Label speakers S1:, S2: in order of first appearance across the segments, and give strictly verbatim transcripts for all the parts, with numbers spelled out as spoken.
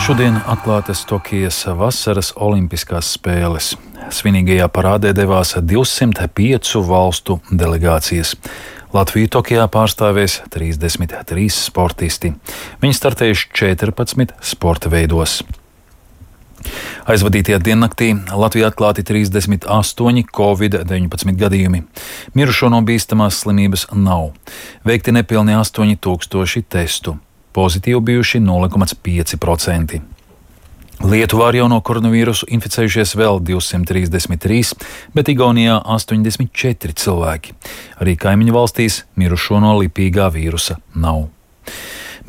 S1: Šodien atklātas Tokijas vasaras olimpiskās spēles. Svinīgajā parādē devās divsimt piecu valstu delegācijas. Latviju Tokijā pārstāvēs trīsdesmit trīs sportisti. Viņi startējuši četrpadsmit sporta veidos. Aizvadītajā diennaktī Latvijā atklāti trīsdesmit astoņi covid deviņpadsmit gadījumi. Mirušo no bīstamās slimības nav. Veikti nepilni astoņi tūkstoši testu. Pozitīvi bijuši nulle komats pieci procenti. Lietuvā ar jauno koronavīrusu inficējušies vēl divsimt trīsdesmit trīs, bet Igaunijā astoņdesmit četri cilvēki. Arī kaimiņu valstīs mirušo no lipīgā vīrusa nav.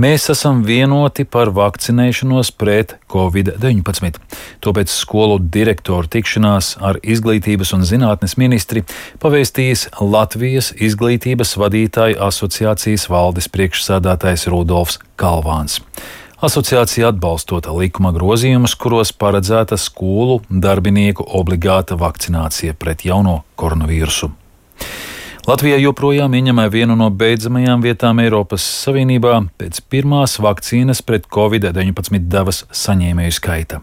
S1: Mēs esam vienoti par vakcinēšanos pret covid deviņpadsmit. Tāpēc skolu direktoru tikšanās ar Izglītības un zinātnes ministri pavēstījis Latvijas izglītības vadītāju asociācijas valdes priekšsēdētājs Rudolfs Kalvāns. Asociācija atbalstot likuma grozījumus, kuros paredzēta skolu darbinieku obligāta vakcinācija pret jauno koronavīrusu. Latvijā joprojām ieņem vienu no beidzamajām vietām Eiropas Savienībā pēc pirmās vakcīnas pret covid deviņpadsmit devas saņēmēju skaita.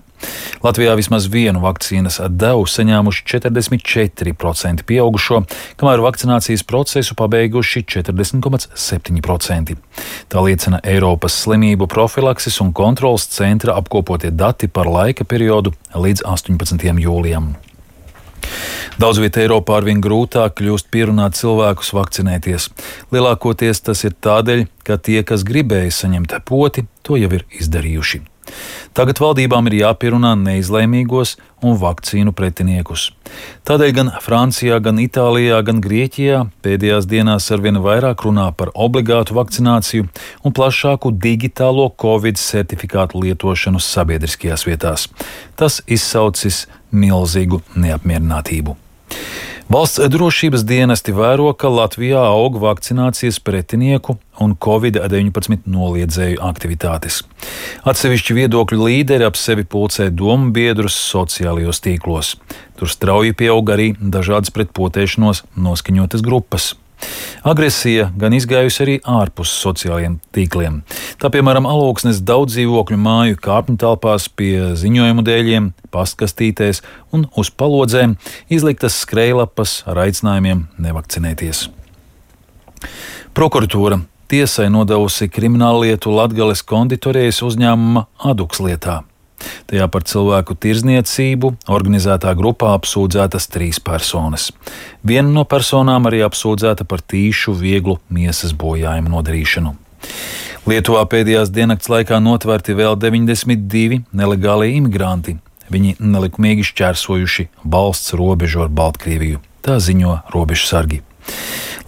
S1: Latvijā vismaz vienu vakcīnas devu saņēmuši četrdesmit četri procenti pieaugušo, kamēr vakcinācijas procesu pabeiguši četrdesmit komats septiņi procenti. Tā liecina Eiropas slimību profilakses un kontrolas centra apkopotie dati par laika periodu līdz astoņpadsmitajam jūlijam. Daudz vietā Eiropā arvien grūtāk kļūst pierunāt cilvēkus vakcinēties. Lielākoties tas ir tādēļ, ka tie, kas gribēja saņemt poti, to jau ir izdarījuši. Tagad valdībām ir jāpierunā neizlēmīgos un vakcīnu pretiniekus. Tādēļ gan Francijā, gan Itālijā, gan Grieķijā pēdējās dienās arvien vairāk runā par obligātu vakcināciju un plašāku digitālo covid certifikātu lietošanu sabiedriskajās vietās. Tas izsaucis milzīgu neapmierinātību. Valsts drošības dienesti vēro, ka Latvijā aug vakcinācijas pretinieku un covid deviņpadsmit noliedzēju aktivitātes. Atsevišķi viedokļu līderi ap sevi pulcē domu biedrus sociālajos tīklos. Tur strauji pieaug arī dažādas pret potēšanos noskaņotas grupas. Agresija gan izgājusi arī ārpus sociālajiem tīkliem. Tā, piemēram, Alūksnes daudz dzīvokļu māju kāpņu telpās pie ziņojumu dēļiem, pastkastītēs un uz palodzēm izliktas skrejlapas ar aicinājumiem nevakcinēties. Prokuratūra tiesai nodevusi krimināllietu Latgales konditorijas uzņēmuma Aduks lietā. Tajā par cilvēku tirdzniecību organizētā grupā apsūdzētas trīs personas. Viena no personām arī apsūdzēta par tīšu vieglu miesas bojājumu nodarīšanu. Lietuvā pēdējās diennakts laikā notverti vēl deviņdesmit divi nelegālie imigranti. Viņi nelikumīgi šķērsojuši valsts robežu ar Baltkrieviju. Tā ziņo robežsargi.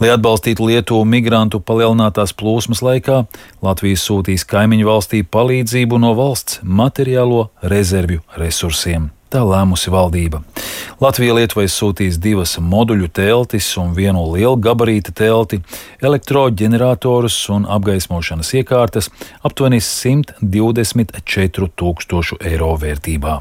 S1: Lai atbalstītu Lietuvu migrantu palielinātās plūsmas laikā, Latvija sūtīs kaimiņu valstī palīdzību no valsts materiālo rezervju resursiem. Tā lēmusi valdība. Latvija Lietuvai sūtīs divas moduļu teltis un vienu lielu gabarīta telti, elektroģeneratorus un apgaismošanas iekārtas aptuveni simt divdesmit četru tūkstošu eiro vērtībā.